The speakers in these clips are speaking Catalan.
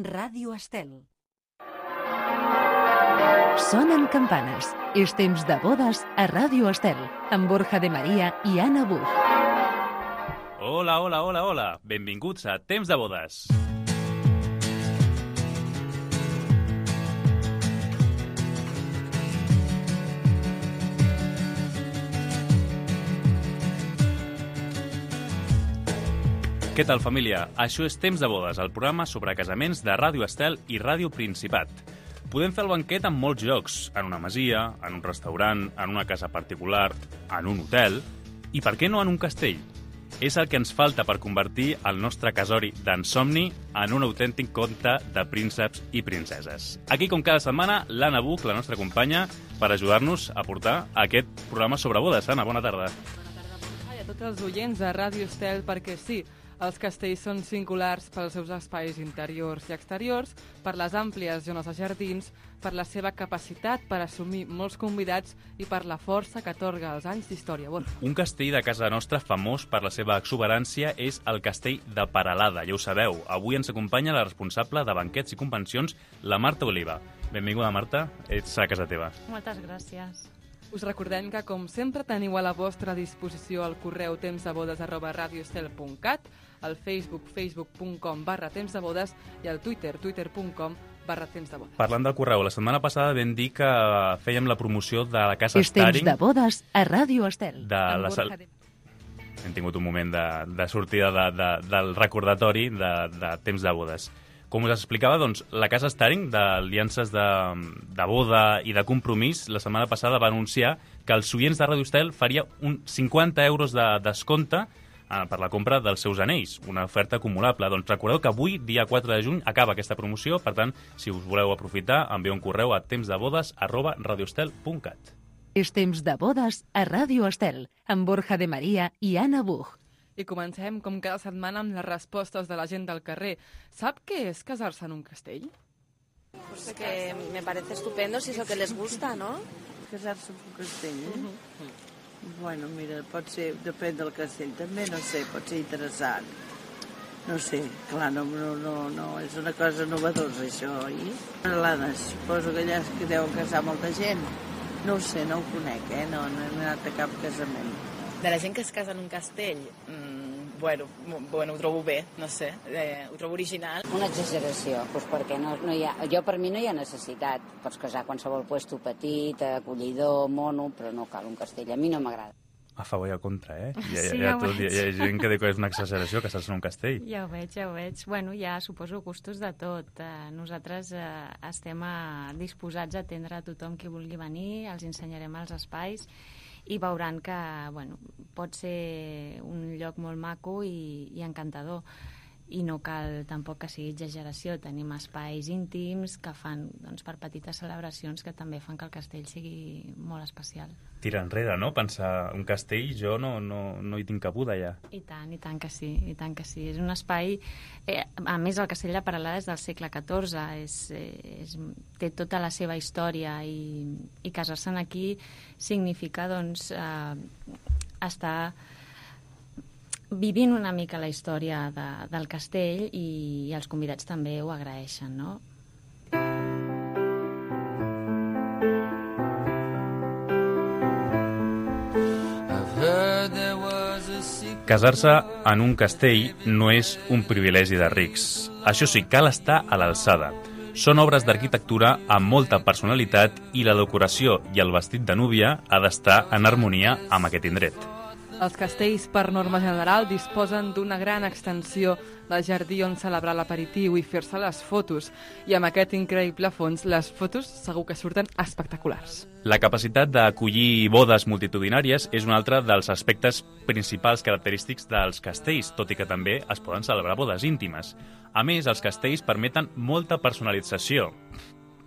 Ràdio Estel. Sonen campanes. És temps de bodes a Ràdio Estel, amb Borja de Maria i Anna Buch. Hola, hola, hola, hola. Benvinguts a Temps de bodes. Què tal, família? Això és Temps de bodes, el programa sobre casaments de Ràdio Estel i Ràdio Principat. Podem fer el banquet en molts llocs, en una masia, en un restaurant, en una casa particular, en un hotel i, per què no, en un castell? És el que ens falta per convertir el nostre casori d'ensomni en un autèntic conte de prínceps i princeses. Aquí, com cada setmana, l'Anna Buch, la nostra companya, per ajudar-nos a portar aquest programa sobre bodes. Anna, bona tarda. Bona tarda, i a tots els oients de Ràdio Estel, perquè sí, els castells són singulars pels seus espais interiors i exteriors, per les àmplies zones de jardins, per la seva capacitat per assumir molts convidats i per la força que atorga els anys d'història. Un castell de casa nostra famós per la seva exuberància és el castell de Peralada, ja ho sabeu. Avui ens acompanya la responsable de banquets i convencions, la Marta Oliva. Benvinguda, Marta, ets a casa teva. Moltes gràcies. Us recordem que, com sempre, teniu a la vostra disposició el correu tempsdebodes@radioestel.cat, el Facebook, facebook.com/tempsdebodes i el Twitter, twitter.com/tempsdebodes. Parlant del correu, la setmana passada vam dir que fèiem la promoció de la casa És temps Staring. de bodes a Ràdio Estel. Hem tingut un moment de sortida del recordatori de temps de bodes. Com us explicava, doncs, la casa Staring d'aliances de boda i de compromís la setmana passada va anunciar que els oients de Ràdio Estel faria un 50 euros de descompte per la compra dels seus anells, una oferta acumulable. Doncs recordeu que avui, dia 4 de juny, acaba aquesta promoció, per tant, si us voleu aprofitar, envieu un correu a tempsdebodes@radioestel.cat. És temps de bodes a Ràdio Estel, amb Borja de Maria i Anna Buch. I comencem, com cada setmana, amb les respostes de la gent del carrer. Sap què és casar-se en un castell? Pues que me parece estupendo si es lo que les gusta, ¿no? Casar-se en un castell, Bueno, mira, pot ser, depèn del castell, també, no sé, pot ser interessant. No sé, clar, no, és una cosa novedosa, això, oi? L'Anna, suposo que allà que deuen casar molta gent. No ho sé, no ho conec, no he anat a cap casament. De la gent que es casa en un castell, bueno, ho trobo bé, no sé, ho trobo original. Una exageració, doncs perquè no hi ha, per mi no hi ha necessitat. Pots casar a qualsevol puesto petit, acollidor, mono, però no cal un castell. A mi no m'agrada. A favor i a contra, Sí, hi ha gent que diu que és una exageració casar-se en un castell. Ja ho veig. Bueno, ja suposo gustos de tot. Nosaltres estem disposats a atendre a tothom qui vulgui venir, els ensenyarem els espais i veuran que, bueno, pot ser un lloc molt maco i encantador. I no cal tampoc que sigui exageració. Tenim espais íntims que fan, doncs, per petites celebracions que també fan que el castell sigui molt especial. Tira enrere, no? Pensar un castell, jo no hi tinc cabuda ja. I tant que sí, i tant que sí. És un espai... a més, el castell de Peralada és del segle XIV, té tota la seva història i casar-se'n aquí significa, doncs, estar vivint una mica la història del castell i els convidats també ho agraeixen, no? Casar-se en un castell no és un privilegi de rics. Això sí, cal estar a l'alçada. Són obres d'arquitectura amb molta personalitat i la decoració i el vestit de núvia ha d'estar en harmonia amb aquest indret. Els castells, per norma general, disposen d'una gran extensió de jardí on celebrar l'aperitiu i fer-se les fotos. I amb aquest increïble fons, les fotos segur que surten espectaculars. La capacitat d'acollir bodes multitudinàries és un altre dels aspectes principals característics dels castells, tot i que també es poden celebrar bodes íntimes. A més, els castells permeten molta personalització.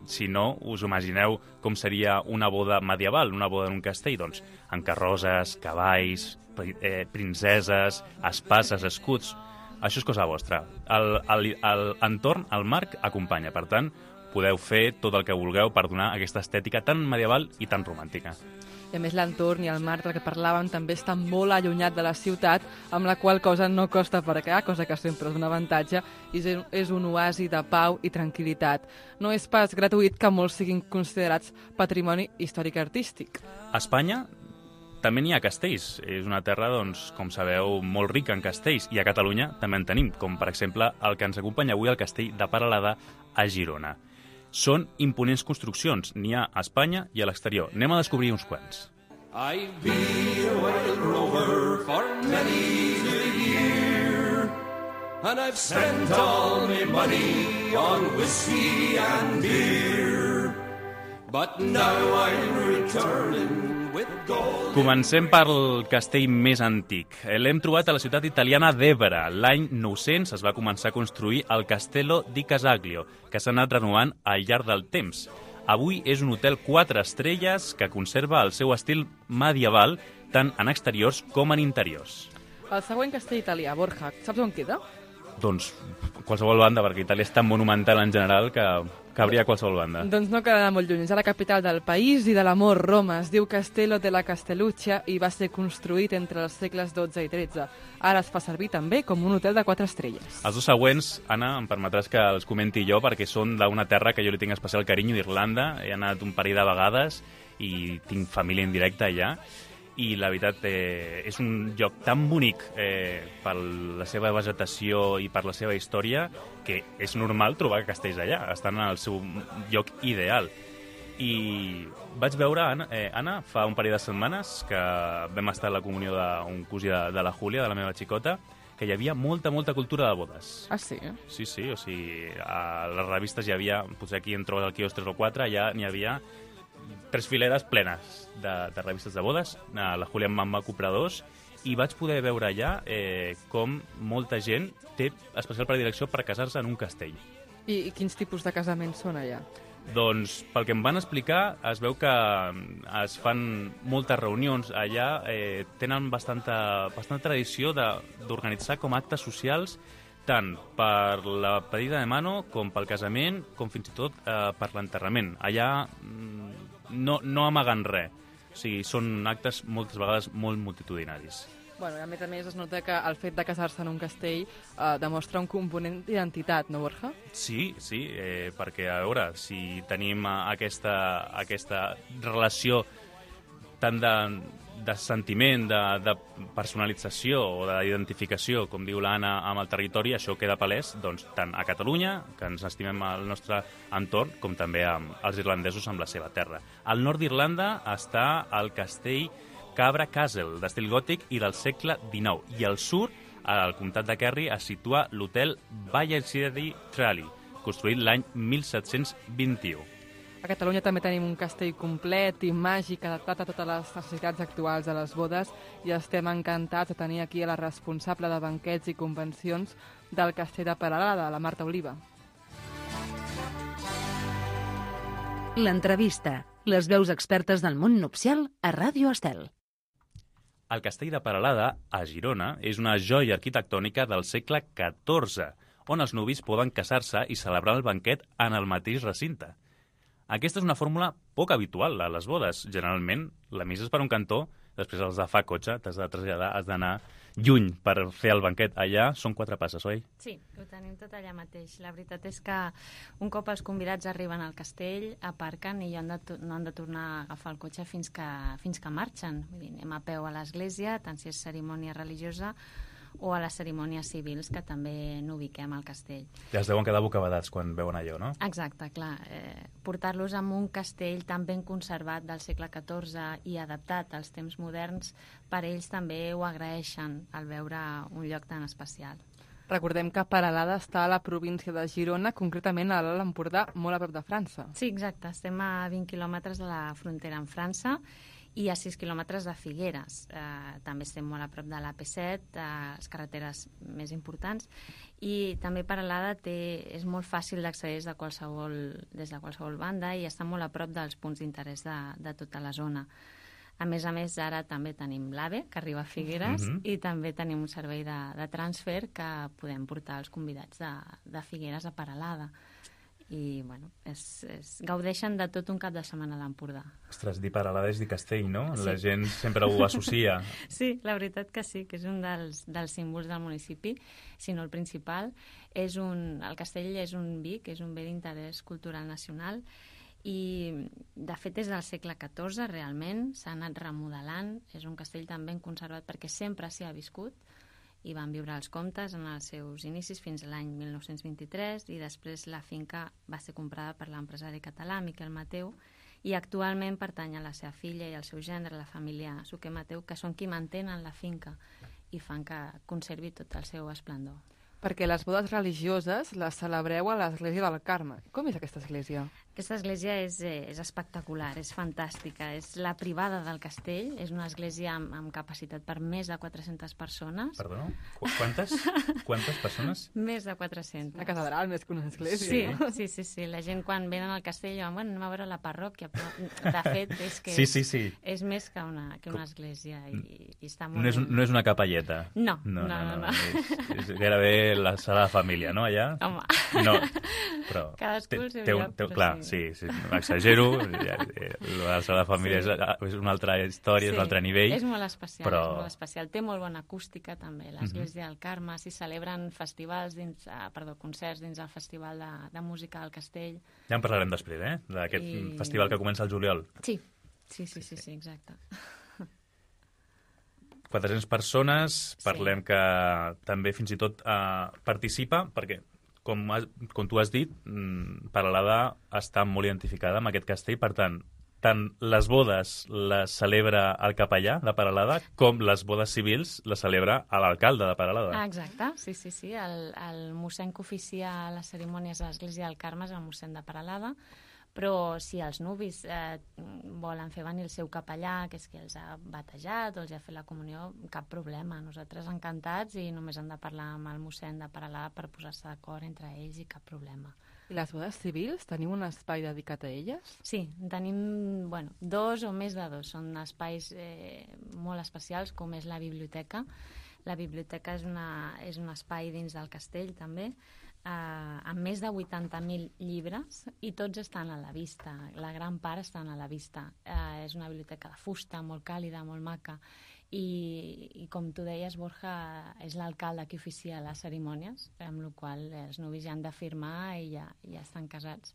Si no, us imagineu com seria una boda medieval, una boda en un castell, doncs, amb carrosses, cavalls, princeses, espases, escuts. Això és cosa vostra. L'entorn, el marc, acompanya. Per tant, podeu fer tot el que vulgueu per donar aquesta estètica tan medieval i tan romàntica. I a més l'entorn i el mar del que parlàvem també està molt allunyat de la ciutat, amb la qual cosa no costa aparcar, cosa que sempre és un avantatge, i és un oasi de pau i tranquil·litat. No és pas gratuït que molts siguin considerats patrimoni històric artístic. A Espanya també n'hi ha castells. És una terra, doncs, com sabeu, molt rica en castells, i a Catalunya també en tenim, com per exemple el que ens acompanya avui, el castell de Peralada a Girona. Són imponents construccions, n'hi ha a Espanya i a l'exterior. Anem a descobrir uns quants. I've been a wild rover for many a year, and I've spent all my money on whiskey and beer, but now I'm returning with gold. Comencem pel castell més antic. L'hem trobat a la ciutat italiana d'Évora. L'any 900 es va començar a construir el Castello di Casaglio, que s'ha anat renovant al llarg del temps. Avui és un hotel 4 estrelles que conserva el seu estil medieval tant en exteriors com en interiors. El següent castell italià, Borja, saps on queda? Doncs qualsevol banda, perquè Itàlia és tan monumental en general que cabria qualsevol banda. Doncs no quedarà molt lluny, és a la capital del país i de l'amor, Roma. Es diu Castello della Castelluccia i va ser construït entre els segles XII i XIII. Ara es fa servir també com un hotel de 4 estrelles. Els dos següents, Anna, em permetràs que els comenti jo, perquè són d'una terra que jo li tinc especial carinyo, d'Irlanda. He anat un parell de vegades i tinc família en directe allà. I la veritat és un lloc tan bonic per la seva vegetació i per la seva història que és normal trobar castells allà, estan en el seu lloc ideal. I vaig veure, Anna, fa un parell de setmanes que vam estar a la comunió d'un cosí de la Júlia, de la meva xicota, que hi havia molta cultura de bodes. Ah, sí? Sí, o sigui, a les revistes hi havia, potser aquí en trobes el quios 3 o 4, allà n'hi havia 3 fileres plenes de revistes de bodes. La Júlia em va comprar 2 i vaig poder veure allà com molta gent té especial predilecció per casar-se en un castell. I quins tipus de casaments són allà? Doncs, pel que em van explicar, es veu que es fan moltes reunions allà, tenen bastanta tradició d'organitzar com actes socials tant per la pedida de mano com pel casament, com fins i tot per l'enterrament. Allà no amaguen res. O sigui, són actes moltes vegades molt multitudinaris. Bueno, a més es nota que el fet de casar-se en un castell demostra un component d'identitat, no, Borja? Sí, perquè, a veure, si tenim aquesta relació tant de sentiment, de personalització o d'identificació, com diu l'Anna, amb el territori, això queda palès doncs, tant a Catalunya, que ens estimem al nostre entorn, com també als irlandesos amb la seva terra. Al nord d'Irlanda està el castell Cabra Castle, d'estil gòtic i del segle XIX. I al sud, al comtat de Kerry, es situa l'hotel Ballycedy Tralee, construït l'any 1721. A Catalunya també tenim un castell complet i màgic adaptat a totes les necessitats actuals de les bodes i estem encantats de tenir aquí a la responsable de banquets i convencions del castell de Peralada, la Marta Oliva. L'entrevista. Les veus expertes del món nupcial a Ràdio Estel. El castell de Peralada, a Girona, és una joia arquitectònica del segle XIV, on els nuvis poden casar-se i celebrar el banquet en el mateix recinte. Aquesta és una fórmula poc habitual a les bodes. Generalment, la missa és per un cantó, després els de fa cotxe, t'has de traslladar, has d'anar lluny per fer el banquet. Allà són 4 passes, oi? Sí, ho tenim tot allà mateix. La veritat és que un cop els convidats arriben al castell, aparquen i no han de tornar a agafar el cotxe fins que marxen. Vull dir, anem a peu a l'església, tant si és cerimònia religiosa o a les cerimònies civils, que també n'ubiquem al castell. Ja es deuen quedar bocabadats quan veuen allò, no? Exacte, clar. Portar-los en un castell tan ben conservat del segle XIV i adaptat als temps moderns, per ells també ho agraeixen al veure un lloc tan especial. Recordem que Peralada està a la província de Girona, concretament a l'Alt Empordà, molt a prop de França. Sí, exacte. Estem a 20 quilòmetres de la frontera amb França i a 6 quilòmetres de Figueres. També estem molt a prop de l'AP7, les carreteres més importants, i també Peralada és molt fàcil d'accedir des de qualsevol banda i està molt a prop dels punts d'interès de tota la zona. A més, ara també tenim l'AVE, que arriba a Figueres, i també tenim un servei de transfer que podem portar els convidats de Figueres a Peralada. I, bueno, gaudeixen de tot un cap de setmana a l'Empordà. Ostres, dir Peralada és dir castell, no? Sí. La gent sempre ho associa. Sí, la veritat que sí, que és un dels símbols del municipi, si no el principal. El castell és un vi, que és un bé d'interès cultural nacional, i de fet és del segle XIV realment, s'ha anat remodelant, és un castell tan ben conservat perquè sempre s'hi ha viscut, i van viure els comtes en els seus inicis fins a l'any 1923, i després la finca va ser comprada per l'empresari català Miquel Mateu, i actualment pertany a la seva filla i al seu gendre, la família Suquer Mateu, que són qui mantenen la finca i fan que conservi tot el seu esplendor. Perquè les bodes religioses les celebreu a l'església del Carme. Com és aquesta església? Aquesta església és espectacular, és fantàstica. És la privada del castell, és una església amb capacitat per més de 400 persones. Perdó? Quantes? Quantes persones? Més de 400. Una catedral més que una església. Sí. La gent quan venen al castell diuen, bueno, anem a veure la parròquia, però de fet és que sí. És més que una església i està molt no és una capelleta. No. És gairebé la sala de família, no, allà? Home. No, però... Cadascú el seu lloc, però clar, sí, exagero. La sala de família és una altra història, és un altre nivell. És molt especial, Té molt bona acústica, també. L'església del Carme, s'hi celebren concerts dins el Festival de Música del Castell. Ja en parlarem després, d'aquest festival que comença el juliol. Sí, exacte. 400 persones, parlem que també fins i tot participa, perquè, com tu has dit, Peralada està molt identificada amb aquest castell, per tant les bodes les celebra el capellà de Peralada, com les bodes civils les celebra l'alcalde de Peralada. Exacte, sí. El mossèn que oficia les cerimònies a l'església del Carme és el mossèn de Peralada, però si els nuvis volen fer venir el seu capellà, que és qui els ha batejat o els ha fet la comunió, cap problema. Nosaltres encantats, i només han de parlar amb el mossèn de Peralada per posar-se d'acord entre ells, i cap problema. I les bodes civils, teniu un espai dedicat a elles? Sí, tenim 2 o més de 2. Són espais molt especials, com és la biblioteca. La biblioteca és un espai dins del castell, també, amb més de 80.000 llibres, i tots estan a la vista. La gran part estan a la vista. És una biblioteca de fusta, molt càlida, molt maca, i com tu deies, Borja, és l'alcalde qui oficia les cerimònies, amb la qual cosa els nuvis ja han de firmar i ja estan casats.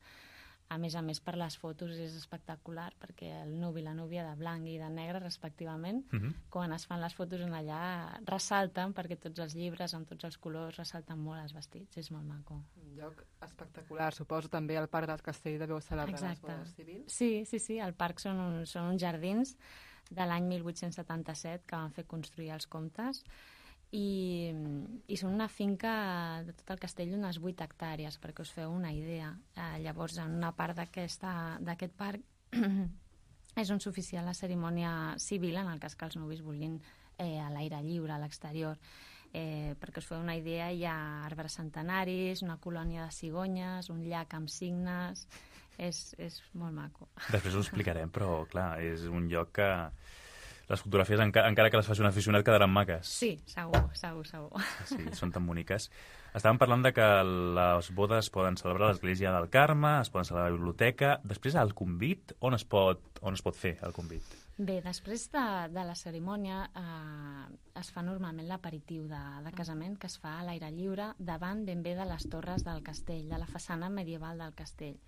A més, per les fotos és espectacular, perquè el nuvi i la núvia de blanc i de negre, respectivament, quan es fan les fotos en allà, ressalten, perquè tots els llibres, amb tots els colors, ressalten molt els vestits. És molt maco. Un lloc espectacular. Suposo també al Parc del Castell deveu celebrar les bodes civils. Sí. El parc són uns jardins de l'any 1877 que van fer construir els comtes, i són una finca de tot el castell d'unes 8 hectàrees, perquè us feu una idea. Llavors, en una part d'aquest parc és on s'oficia la cerimònia civil, en el cas que els nuvis vulguin a l'aire lliure, a l'exterior. Perquè us feu una idea, hi ha arbres centenaris, una colònia de cigonyes, un llac amb cignes. És molt maco. Després ho explicarem, però clar, és un lloc que les fotografies, encara que les faci un aficionat, quedaran maques. Sí, segur. Sí, són tan boniques. Estàvem parlant de que les bodes poden celebrar a l'església del Carme, es poden celebrar a la biblioteca. Després, al convit, on es pot fer el convit? Bé, després de la cerimònia es fa normalment l'aperitiu de casament, que es fa a l'aire lliure, davant ben bé de les torres del castell, de la façana medieval del castell.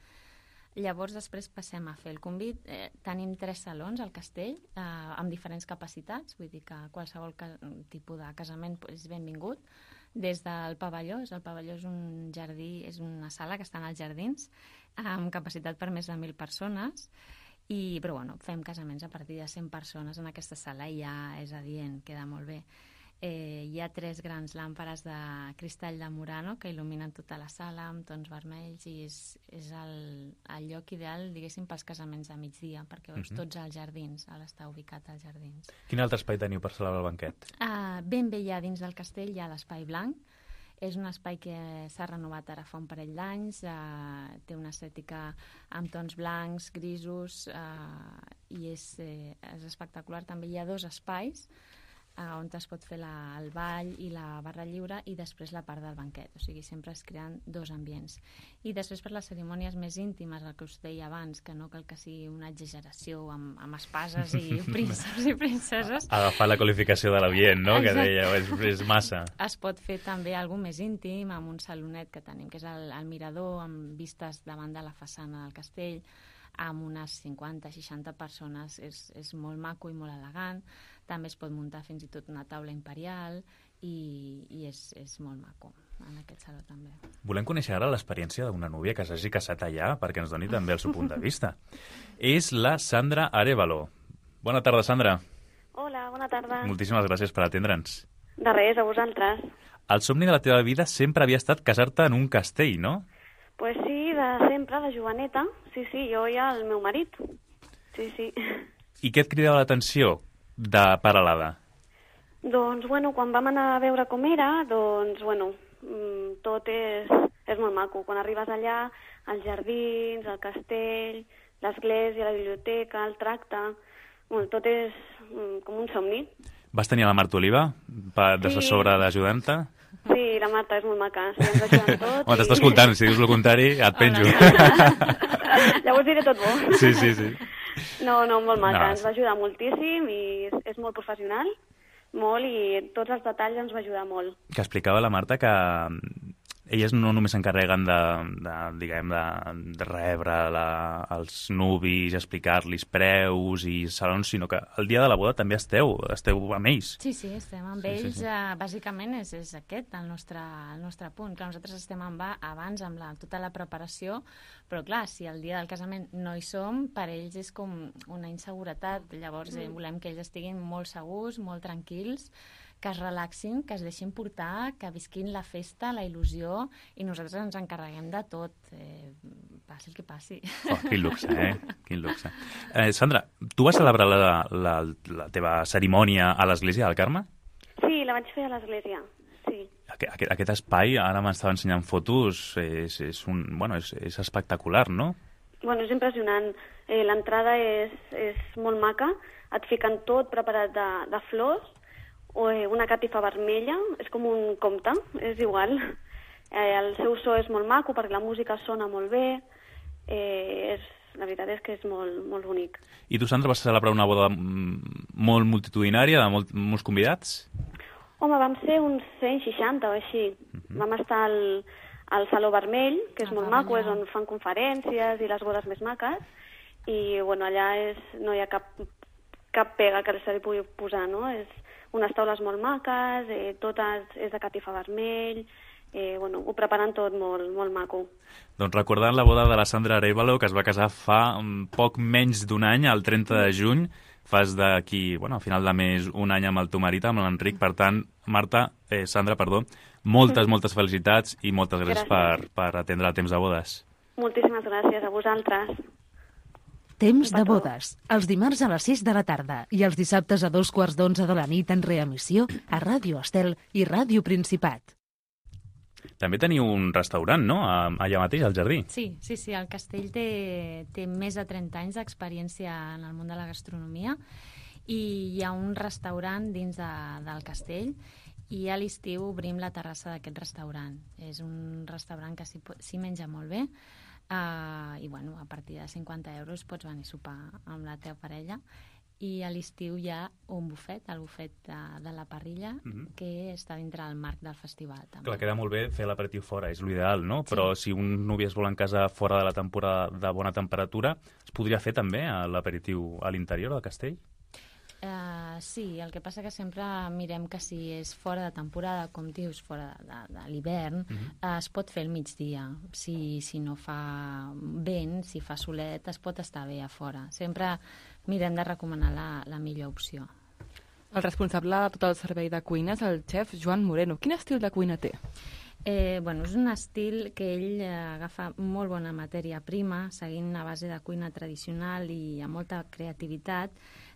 Llavors, després passem a fer el convit. Tenim 3 salons al castell, amb diferents capacitats, vull dir que qualsevol tipus de casament és benvingut. Des del pavelló, el pavelló és un jardí, és una sala que està als jardins, amb capacitat per més de 1.000 persones, però fem casaments a partir de 100 persones en aquesta sala, i ja és adient, queda molt bé. Hi ha 3 grans làmperes de cristall de Murano que il·luminen tota la sala amb tons vermells, i és el lloc ideal, diguéssim, pels casaments de migdia, perquè veus tots als jardins, està ubicat als jardins. Quin altre espai teniu per celebrar el banquet? Ben bé, ja dins del castell hi ha l'Espai Blanc. És un espai que s'ha renovat ara fa un parell d'anys, té una estètica amb tons blancs, grisos, i és espectacular. També hi ha 2 espais on es pot fer el ball i la barra lliure, i després la part del banquet. O sigui, sempre es creen dos ambients. I després per les cerimònies més íntimes, el que us deia abans, que no cal que sigui una exageració amb espases i prínceps i princeses. Agafar la qualificació de l'ambient, no? Exacte. Que deia, és massa. Es pot fer també alguna més íntim, amb un salonet que tenim, que és el mirador, amb vistes davant de la façana del castell, amb unes 50-60 persones. És molt maco i molt elegant. També es pot muntar fins i tot una taula imperial i és molt maco en aquest saló també. Volem conèixer ara l'experiència d'una núvia que s'hagi casat allà perquè ens doni també el seu punt de vista. És la Sandra Arévalo. Bona tarda, Sandra. Hola, bona tarda. Moltíssimes gràcies per atendre'ns. De res, a vosaltres. El somni de la teva vida sempre havia estat casar-te en un castell, no? Pues sí, de sempre, de joveneta. Sí, jo i el meu marit. Sí. I què et cridava l'atenció de Peralada? Doncs, quan vam anar a veure com era, tot és molt maco. Quan arribes allà, els jardins, el castell, l'església, la biblioteca, el tracte, tot és com un somni. Vas tenir la Marta Oliva d'assessora d'ajudant-te? Sí, la Marta és molt maca, sí, ens ajuden tot. Home, t'està escoltant, si dius el contrari, et penjo. Llavors diré tot bo. Sí. No, molt maca, ens va ajudar moltíssim i és molt professional, molt, i tots els detalls ens va ajudar molt. Que explicava la Marta que elles no només s'encarreguen de rebre els nuvis, explicar-los preus i salons, sinó que el dia de la boda també esteu amb ells. Sí, estem amb ells. Bàsicament és aquest el nostre punt. Clar, nosaltres estem abans amb tota la preparació, però clar, si el dia del casament no hi som, per ells és com una inseguretat. Llavors volem que ells estiguin molt segurs, molt tranquils, que es relaxin, que es deixin portar, que visquin la festa, la il·lusió, i nosaltres ens encarreguem de tot, passi el que passi. Oh, quin luxe, Quin luxe. Sandra, tu vas celebrar la teva cerimònia a l'església del Carme? Sí, la vaig fer a l'església, sí. Aquest espai, ara m'estava ensenyant fotos, és espectacular, no? És impressionant. L'entrada és molt maca, et fiquen tot preparat de flors, una catifa vermella, és com un conte, és igual. El seu so és molt maco perquè la música sona molt bé, la veritat és que és molt, molt bonic. I tu, Sandra, vas celebrar una boda molt multitudinària, de molts convidats? Home, vam ser uns 160 o així. Vam estar al Saló Vermell, que és molt maco, és on fan conferències i les bodes més maques, i allà no hi ha cap pega que se li pugui posar, no? És unes taules molt maques, tot és de catifa vermell, ho preparen tot molt, molt maco. Doncs recordant la boda de la Sandra Arévalo, que es va casar fa poc menys d'un any, el 30 de juny, fas d'aquí, a final de mes, un any amb el teu marit, amb l'Enric. Per tant, Sandra, moltes felicitats i moltes gràcies per atendre el temps de bodes. Moltíssimes gràcies a vosaltres. Temps de bodes, els dimarts a les 6 de la tarda i els dissabtes a 2:15 de la nit en reemissió a Ràdio Estel i Ràdio Principat. També teniu un restaurant, no?, allà mateix, al jardí. Sí, el castell té més de 30 anys d'experiència en el món de la gastronomia i hi ha un restaurant dins del castell i a l'estiu obrim la terrassa d'aquest restaurant. És un restaurant que s'hi menja molt bé, i a partir de 50 euros pots venir a sopar amb la teva parella, i a l'estiu hi ha un bufet, el bufet de la parrilla, que està dintre del marc del festival. També. Clar, queda molt bé fer l'aperitiu fora, és l'ideal, no? Sí. Però si un núvia es vol en casa fora de la temporada de bona temperatura, es podria fer també l'aperitiu a l'interior del castell? Sí, el que passa que sempre mirem que si és fora de temporada, com dius, fora de l'hivern, es pot fer al migdia. Si no fa vent, si fa solet, es pot estar bé a fora. Sempre mirem de recomanar la millor opció. El responsable de tot el servei de cuina és el xef Joan Moreno. Quin estil de cuina té? És un estil que ell agafa molt bona matèria prima, seguint una base de cuina tradicional i amb molta creativitat,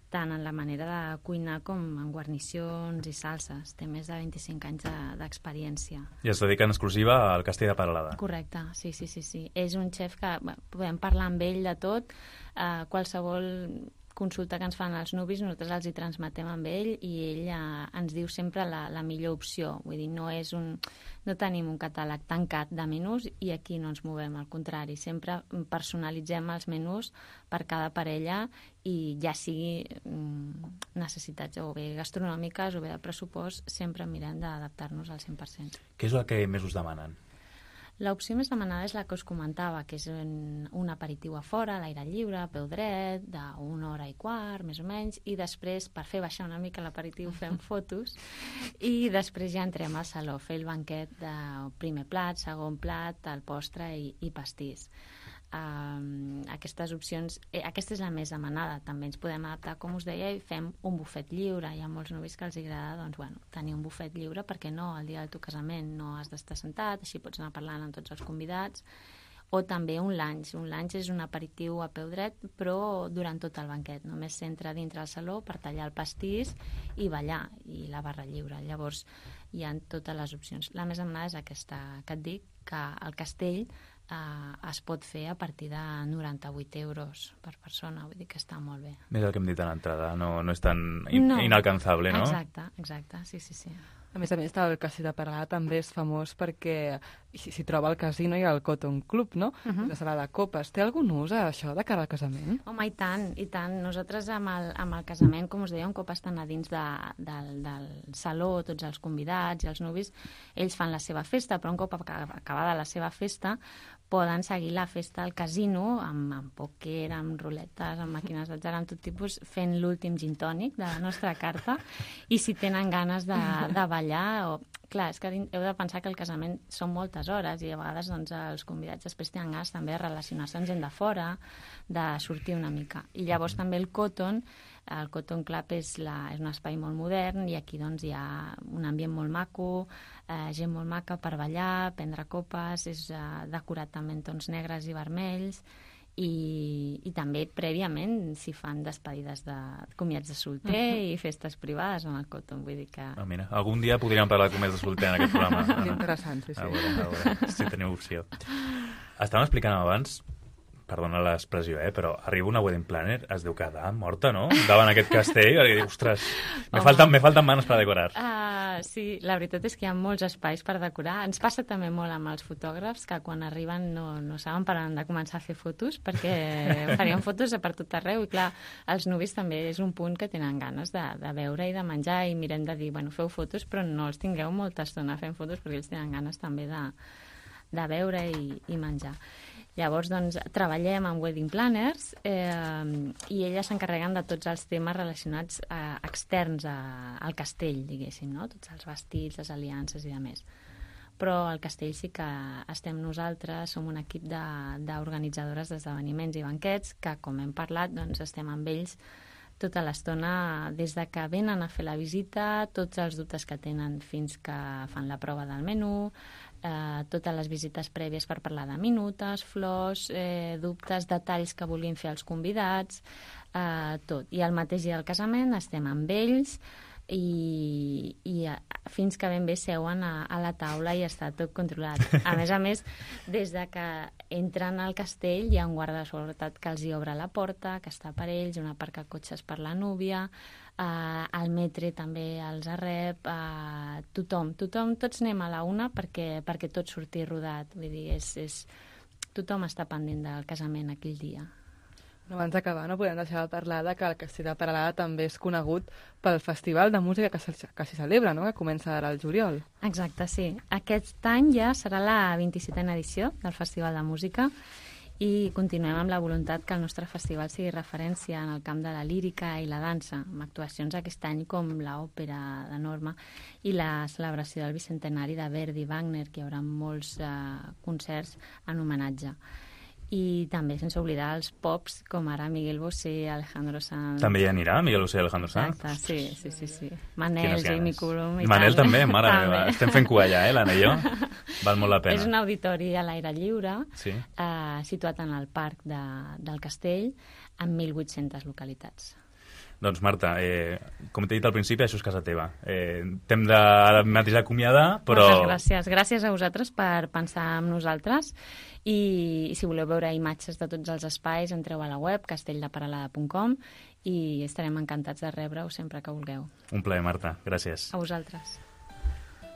tant en la manera de cuinar com en guarnicions i salses. Té més de 25 anys d'experiència. I es dedica en exclusiva al castell de Peralada. Correcte, sí. És un xef que podem parlar amb ell de tot, qualsevol consulta que ens fan els nuvis, nosaltres els hi transmetem amb ell i ell ens diu sempre la millor opció. Vull dir, no tenim un catàleg tancat de menús i aquí no ens movem, al contrari. Sempre personalitzem els menús per cada parella i ja sigui necessitats o bé gastronòmiques o bé de pressupost, sempre mirem d'adaptar-nos al 100%. Què és el que més us demanen? L'opció més demanada és la que us comentava, que és un aperitiu a fora, a l'aire lliure, a peu dret, d'una hora i quart, més o menys, i després, per fer baixar una mica l'aperitiu, fem fotos, i després ja entrem al saló, fer el banquet de primer plat, segon plat, el postre i pastís. Aquestes opcions, aquesta és la més demanada. També ens podem adaptar, com us deia, i fem un bufet lliure. Hi ha molts nuvis que els agrada tenir un bufet lliure, perquè no, el dia del teu casament no has d'estar sentat, així pots anar parlant amb tots els convidats. O també un lunch. Un lunch és un aperitiu a peu dret, però durant tot el banquet. Només s'entra dintre el saló per tallar el pastís i ballar, i la barra lliure. Llavors hi ha totes les opcions. La més demanada és aquesta que et dic, que el castell es pot fer a partir de 98 euros per persona, vull dir que està molt bé. És el que hem dit a l'entrada, no és tan inalcançable, no? Exacte, sí. A més, el Castell de Peralada també és famós perquè s'hi troba el casino i el Cotton Club, no? La sala de copes. Té algun ús, això, de cara al casament? Home, i tant. Nosaltres amb el casament, com us deia, un cop estan a dins del saló, tots els convidats i els nuvis, ells fan la seva festa, però un cop acabada la seva festa, poden seguir la festa al casino amb pòquer, amb ruletes, amb màquines d'atzar, amb tot tipus, fent l'últim gin tònic de la nostra carta, i si tenen ganes de ballar... Clar, és que heu de pensar que el casament són moltes hores i a vegades els convidats després tenen ganes també de relacionar-se amb gent de fora, de sortir una mica. I llavors també el Cotton Club és un espai molt modern i aquí hi ha un ambient molt maco, gent molt maca per ballar, prendre copes, és decorat també en tons negres i vermells, i també prèviament s'hi fan despedides de comiats de solter i festes privades amb el Cotton, vull dir que... Mira, algun dia podríem parlar de comiats de solter en aquest programa. Que interessant, sí. A veure, si teniu opció. Estàvem explicant abans, perdona l'expressió, però arriba una wedding planner, es deu quedar morta, no? Davant aquest castell, i diu, ostres, me falten manos per decorar. Sí, la veritat és que hi ha molts espais per decorar. Ens passa també molt amb els fotògrafs, que quan arriben no saben per on de començar a fer fotos, perquè farien fotos per tot arreu, i clar, els nuvis també és un punt que tenen ganes de veure i de menjar, i mirem de dir, bueno, feu fotos, però no els tingueu molta estona fent fotos, perquè ells tenen ganes també de veure i menjar. Llavors, treballem amb wedding planners i elles s'encarreguen de tots els temes relacionats externs al castell, diguéssim, no? Tots els vestits, les aliances i demés. Però al castell sí que estem nosaltres, som un equip d'organitzadores d'esdeveniments i banquets que, com hem parlat, estem amb ells tota l'estona, des de que venen a fer la visita, tots els dubtes que tenen fins que fan la prova del menú, totes les visites prèvies per parlar de minutes, flors, dubtes, detalls que vulguin fer els convidats, tot. I el mateix dia del casament estem amb ells i fins que ben bé seuen a la taula i està tot controlat. A més, des de que entren al castell hi ha un guarda de seguretat que els hi obre la porta, que està per ells, un aparcacotxes per la núvia, el metre també els rep, tothom, tots anem a la una perquè tot surti rodat. Vull dir, tothom està pendent del casament aquell dia. Abans d'acabar, no podem deixar de parlar que el Castell de Peralada també és conegut pel festival de música que s'hi celebra, no? Que comença ara al juliol. Exacte, sí. Aquest any ja serà la 27a edició del Festival de Música i continuem amb la voluntat que el nostre festival sigui referència en el camp de la lírica i la dansa, amb actuacions aquest any com l'òpera de Norma i la celebració del bicentenari de Verdi i Wagner, que hi haurà molts concerts en homenatge. I també sense oblidar els pops com ara Miguel Bosé, Alejandro Sanz. També hi anirà Miguel Bosé i Alejandro Sanz? Exacte, sí. Manel, Jamie Cullum i Manel també, mare meva. Estem fent cua allà, l'Anna i jo. Val molt la pena. És un auditori a l'aire lliure, situat en el parc del castell, amb 1.800 localitats. Doncs Marta, com t'he dit al principi, això és casa teva. T'hem de ara mateix acomiadar, però... Moltes gràcies. Gràcies a vosaltres per pensar en nosaltres i si voleu veure imatges de tots els espais, entreu a la web castelldeperalada.com i estarem encantats de rebre-ho sempre que vulgueu. Un plaer, Marta. Gràcies. A vosaltres.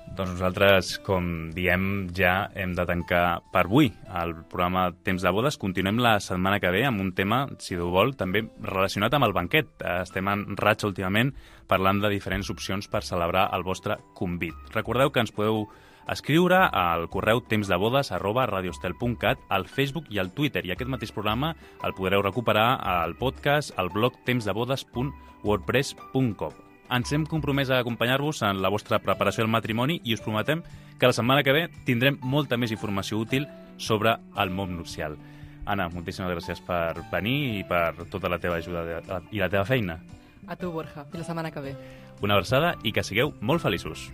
Doncs nosaltres, com diem, ja hem de tancar per avui el programa Temps de bodes. Continuem la setmana que ve amb un tema, si Déu vol, també relacionat amb el banquet. Estem en ratxa últimament parlant de diferents opcions per celebrar el vostre convit. Recordeu que ens podeu escriure al correu temsdebodes@radioestel.cat, al Facebook i al Twitter. I aquest mateix programa el podreu recuperar al podcast al blog temsdebodes.wordpress.com. Ens hem compromès a acompanyar-vos en la vostra preparació del matrimoni i us prometem que la setmana que ve tindrem molta més informació útil sobre el món nupcial. Anna, moltíssimes gràcies per venir i per tota la teva ajuda i la teva feina. A tu, Borja. Fins la setmana que ve. Una abraçada i que sigueu molt feliços.